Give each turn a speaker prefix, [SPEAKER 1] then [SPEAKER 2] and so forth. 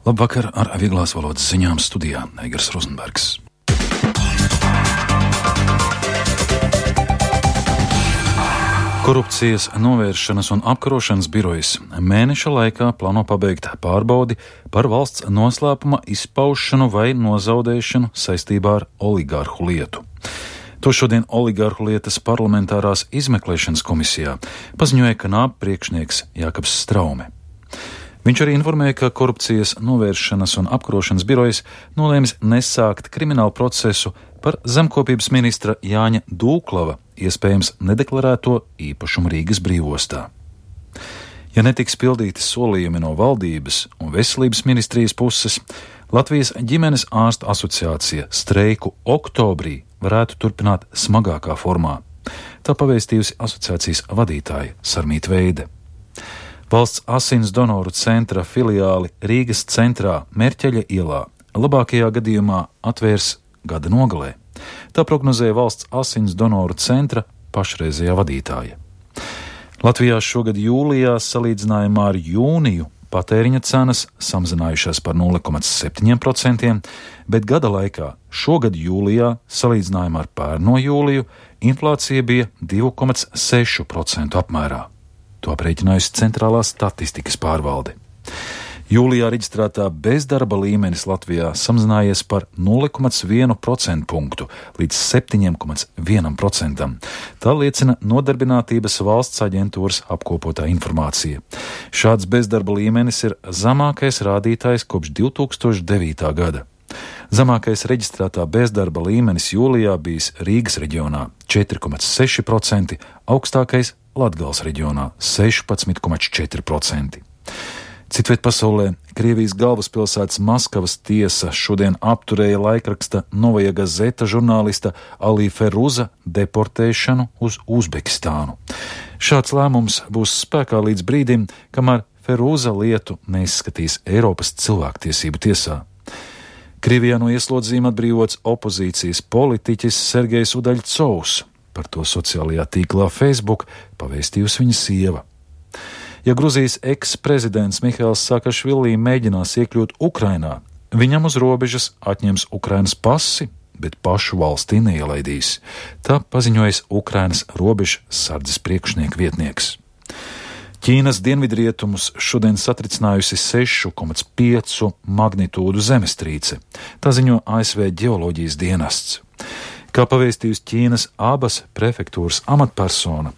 [SPEAKER 1] Labvakar, ar vieglās valodas ziņām studijā Eigars Rozenbergs. Korupcijas novēršanas un apkarošanas birojas mēneša laikā plāno pabeigt pārbaudi par valsts noslēpuma izpaušanu vai nozaudēšanu saistībā ar oligārhu lietu. To šodien oligārhu lietas parlamentārās izmeklēšanas komisijā paziņoja Knāba priekšnieks Jākaps Straume. Viņš arī informēja, ka korupcijas novēršanas un apkarošanas birojas nolēmis nesākt kriminālu procesu par zemkopības ministra Jāņa Dūklava iespējams nedeklarēto īpašumu Rīgas brīvostā. Ja netiks pildīti solījumi no valdības un veselības ministrijas puses, Latvijas ģimenes ārstu asociācija streiku oktobrī varētu turpināt smagākā formā. Tā pavēstījusi asociācijas vadītāja Sarmīta Veide. Valsts asins donoru centra filiāli Rīgas centrā Merķeļa ielā labākajā gadījumā atvērs gada nogalē. Tā prognozēja valsts asins donoru centra pašreizējā vadītāja. Latvijā šogad jūlijā salīdzinājumā ar jūniju patēriņa cenas samazinājušās par 0,7%, bet gada laikā šogad jūlijā salīdzinājumā ar pērno jūliju inflācija bija 2,6% apmērā. To aprēķinājusi Centrālā statistikas pārvalde. Jūlijā reģistrētā bezdarba līmenis Latvijā samazinājies par 0,1% punktu līdz 7,1%. Tā liecina Nodarbinātības valsts aģentūras apkopotā informācija. Šāds bezdarba līmenis ir zemākais rādītājs kopš 2009. gada. Zemākais reģistrētā bezdarba līmenis jūlijā bijis Rīgas reģionā 4,6%, augstākais Latgales reģionā 16,4%. Citviet pasaulē Krievijas galvaspilsētas Maskavas tiesa šodien apturēja laikraksta Novaja Gazeta žurnālista Ali Feruza deportēšanu uz Uzbekistānu. Šāds lēmums būs spēkā līdz brīdim, kamēr Feruza lietu neizskatīs Eiropas cilvēktiesību tiesā. Krievijā no ieslodzījuma atbrīvots opozīcijas politiķis Sergejs Udaļcovs. Par to sociālajā tīklā Facebook pavēstījusi viņa sieva. Ja Gruzijas eks-prezidents Mihails Saakašvili mēģinās iekļūt Ukrainā, viņam uz robežas atņems Ukrainas pasi, bet pašu valstī neielaidīs. Tā paziņojas Ukrainas robežu sardzes priekšnieka vietnieks. Ķīnas dienvidrietumus šodien satricinājusi 6,5 magnitūdu zemestrīce. Tā ziņo ASV ģeoloģijas dienests. Kā pavēstījusi Ķīnas abas prefektūras amatpersona,